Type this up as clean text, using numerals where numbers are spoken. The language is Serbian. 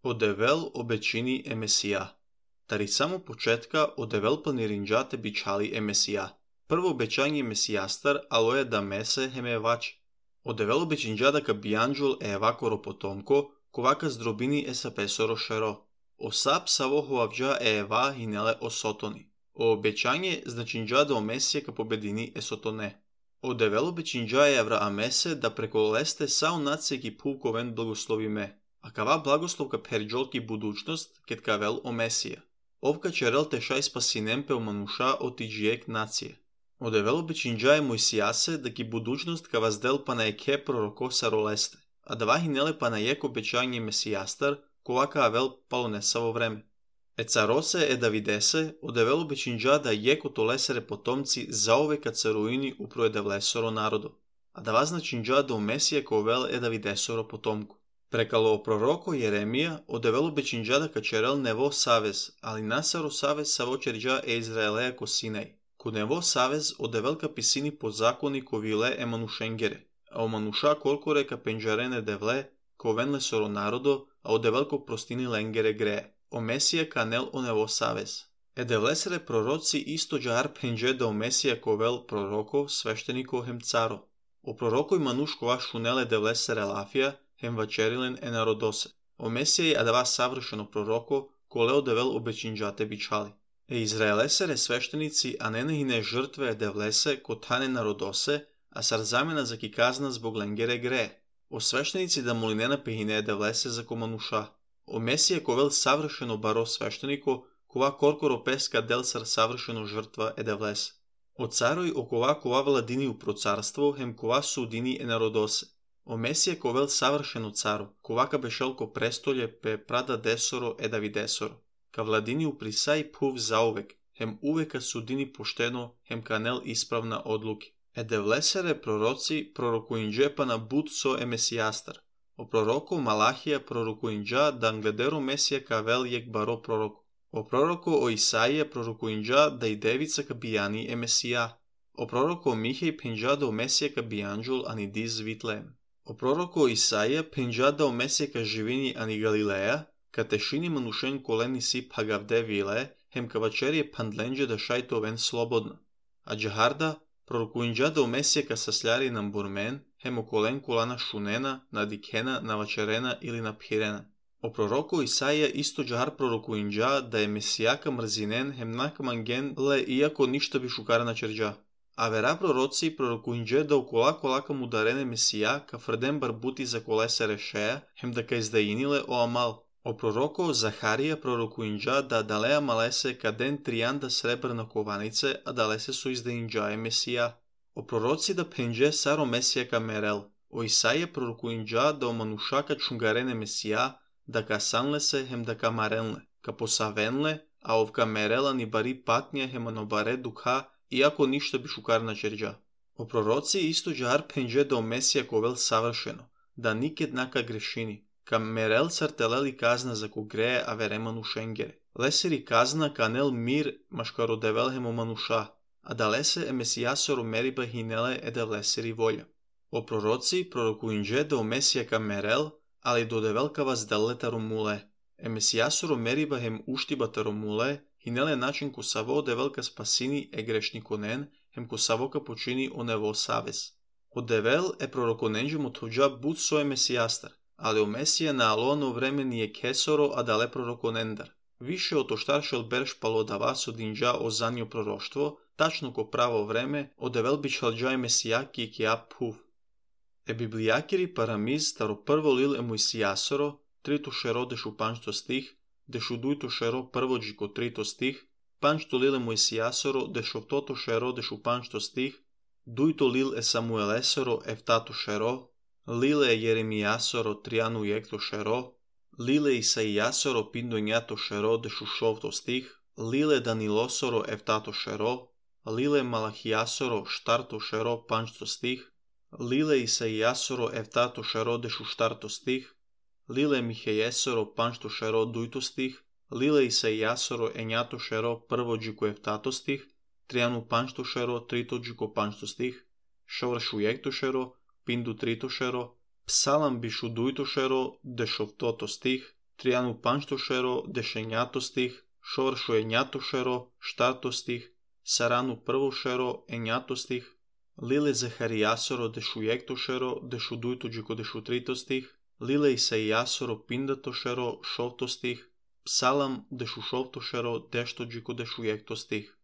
Одевел обечини е Месија. Тари само почетка одевел планиринџате бичали е Месија. Прво обеќање Месијастар алоја да месе хеме евачи. Одевел обечинџада ка бијанџул е евакоро потомко, ковака здробини е сапесоро шеро. Осап саво хоавџа е ева хинеле о сотони. О обеќање значинџада о Месија ка победини е сотоне. Одевел обеќинџа е Авраамесе да преколесте сао нација ки пулковен благословиме. А кава благослов ка перџол ки будучност кет кавел о Месија. Овка черел тешај спасинем пе омануша оти джиек нација. Одевел обеќинџа е Мојсијасе да ки будучност ка ваздел па на еке пророко саролесте. А да хинеле па на ек обеќање Месијастар, ковака авел палонеса во време. Е царосе е Давидесе, одевел обеќинџа да еко толесере потомци заовека царуини упро девлесоро народо. А да значинџа да о Месија ковел е Давидесоро потомко. Прекало пророко Јеремија, одевел обеќинџа ка черел нево савез, али насаро савез саво черџа е Израелеја ко Синај. Ко нево савез одевел ка писини по закони ко виле е манушенгере, а о мануша колкоре ка пенџарене девле, ко венле соро народо, а одевел ко простини ленгере грее. О Месија канел о нево савез. Е девлесере пророци исто џар пенџе да о Месија ковел пророко, свештенико хем царо. О пророко и мануш кова шунеле девлесере лафија, хем вачерилен е народосе. О Месија адава савршено пророко, коле одевел обеќинџате бичали. Е израелесере свештеници, а не нехине жртве е девлесе, ко тане народосе, а сар замена за ки казна због ленгере грее. О свештеници да молинена пехине е девлесе за комануша. О Месија ковел савршено баро свештенико, кова коркоро песка дел сар савршено жртва е девлесе. О царој кова владини упро царство, хем кова судини е народосе. О Месија ковел савршено царо, ковака бешел ко престолје пе прада десоро е Давидесоро. Ка владини уприсај пув заувек, хем увека судини поштено, хем канел исправна одлуки. Е девлесере пророци пророкуинџе па на буд со е Месијастар. О пророко Малахија пророкуинџа да англедеро Месија кавел јек баро пророко. О пророко о Исаија пророкуинџа да и девица ка бијани е Месија. О пророко Михеј пенџа да о Месија ка бијанџул ани диз Витлеем. О пророко Исаија пенџа да о Месија ка живини ани Галилеја, ка тешини манушен колени си пагавде виле, хем ка вачерие пандленџе да шајто вен слободна. А џахарда пророкуинџа да о Месија ка сасљари на бурмен, хем околен колана шунена, надикена, навачерена или напхирена. О пророко Исаија исто џахар пророкуинџа да е Месија ка мрзинен, хем накаманген ле иако ништа би шукарна черџа. А вера пророци пророкуинџе да окола кам ударене Месија ка фрден барбути за колесе решеја, хем да ка издаиниле о Амал. О пророко Захарија пророкуинџа да далеа малесе ка ден тријанда сребрна кованице, а далесе со издаинџа е Месија. О пророци да пенџе саро Месија ка мерел. О Исаија пророкуинџа да о мануша ка чунгарене Месија, да ка санлесе хем да ка маренле, ка посавенле, а овка мерела ни бари патња хем анобаре духа, иако ништа би шукарна черџа. О пророци исто џар пенџе да о Месија ковел савршено, да никед нака грешини. Ка мерел сартелели казна за ко грее авере манушенгере. Лесери казна канел мир машкародевел хем о мануша, а далесе е Месијасоро мериба хинеле е девлесери волја. О пророци пророкуинџе да о Месија ка мерел, али додевел ка вазделле таромуле. Е Месијасоро мериба хем уштиба таромуле, хинеле начин ко саво одевел ка спасини е грешниконен, хем ко саво ка почини о нево савез. Одевел е пророконенџе мотоџа буд со е Месијастар, али о Месија на алоно време ни е кесоро, а дале пророконендар. Више од оштаршел берш палодава со динџа о занио пророштво, тачно ко право време, одевел бичалџа е Месија ки кија пув. Е библијакири парамиз старо прво лил е Мојсијасоро, трито шеро дешу панчто стих, дешу дујто шеро прво джико трито стих, панчто лил е Мојсијасоро, дешовтото шеро дешу панчто стих, дујто лил е Самуелесоро ефтато шеро, лиле е Јеремијасоро тријану јекто шеро, лиле Исаијасоро пиндоњато шеро дешу шовто стих, лиле Данилосоро ефтато шеро, лиле Малахијасоро штарто шеро панчто стих, лиле Исаијасоро ефтато шеро дешу штарто стих, лиле Михејесоро панчто шеро дујто стих, лиле Исаијасоро ењато шеро прво джико ефтато стих, тријану панчто шеро трито джико панчто стих, шовршу јекто шеро, пинду трито шеро, псалам бишу дујто шеро, дешовтото стих, Тријану панштошеро дешењатостих, шовршо ењатошеро штартостих, Сарану првошеро ењатостих, Лиле Захаријасоро дешујектошеро дешудујтоџико дешутритостих, Лиле Исаијасоро пиндатошеро шовтостих, Псалам дешушовтошеро дештоџико дешујектостих.